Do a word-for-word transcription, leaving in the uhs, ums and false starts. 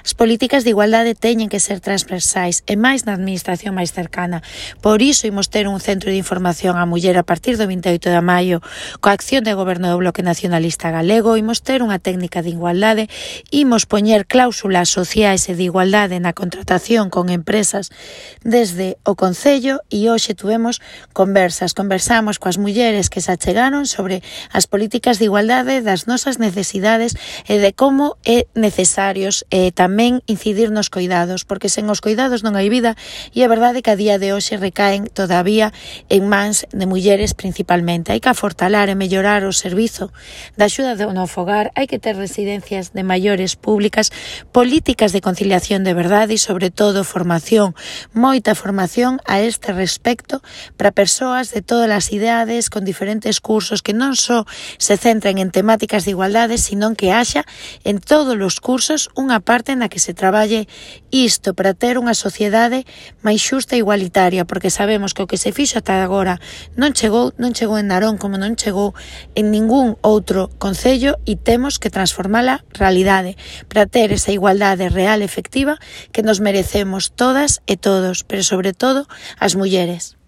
As políticas de igualdade teñen que ser transversais e máis na administración máis cercana. Por iso imos ter un centro de información á muller a partir do vinte e oito de maio coa acción de goberno do Bloque Nacionalista Galego. Imos ter unha técnica de igualdade, imos poñer cláusulas sociais e de igualdade na contratación con empresas desde o Concello e hoxe tuvemos conversas, conversamos coas mulleres que se achegaron sobre as políticas de igualdade, das nosas necesidades e de como é necesarios eh, tamén incidir nos cuidados, porque sen os cuidados non hai vida e é verdade que a día de hoxe recaen todavía en mans de mulleres principalmente. Hai que afortalar e mellorar o servizo da axuda no fogar, hai que ter residencias de maiores públicas, políticas de conciliación de verdade e sobre todo formación, moita formación a este respecto para persoas de todas as idades con diferentes cursos que non só se centren en temáticas de igualdade, sino que haxa en todos os cursos unha parte na que se traballe isto para ter unha sociedade máis xusta e igualitaria, porque sabemos que o que se fixo ata agora non chegou, non chegou en Narón como non chegou en ningún outro concello e temos que transformala realidade para ter esa igualdade real e efectiva que nos merecemos todas e todos, pero sobre todo as mulleres.